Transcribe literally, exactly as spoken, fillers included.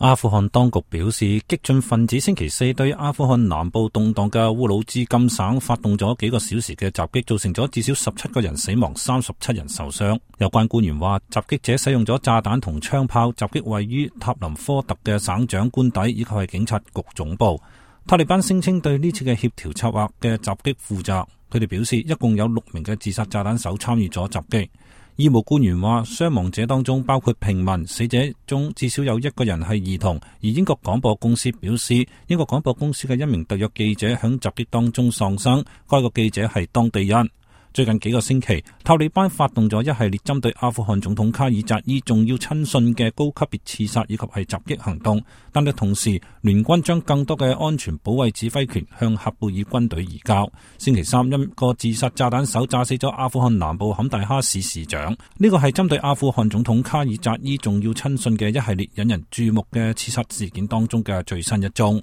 阿富汗當局表示，激進分子星期四對阿富汗南部動盪嘅烏魯茲金省發動咗幾個小時嘅襲擊，造成咗至少十七個人死亡，三十七人受傷。有關官員話，襲擊者使用咗炸彈同槍炮襲擊位於塔林科特嘅省長官邸以及係警察局總部。塔利班聲稱對呢次嘅協調策劃嘅襲擊負責，佢哋表示一共有六名嘅自殺炸彈手參與咗襲擊。醫務官員話，傷亡者當中包括平民，死者中至少有一個人係兒童。而英國廣播公司表示，英國廣播公司嘅一名特約記者響襲擊當中喪生，該個記者係當地人。最近幾個星期，塔利班發動咗一系列針對阿富汗總統卡爾扎伊重要親信嘅高級別刺殺以及係襲擊行動，但係同時聯軍將更多嘅安全保衛指揮權向喀布爾軍隊移交。星期三，一個自殺炸彈手炸死咗阿富汗南部坎大哈市市長，呢個係針對阿富汗總統卡爾扎伊重要親信嘅一系列引人注目嘅刺殺事件當中嘅最新一宗。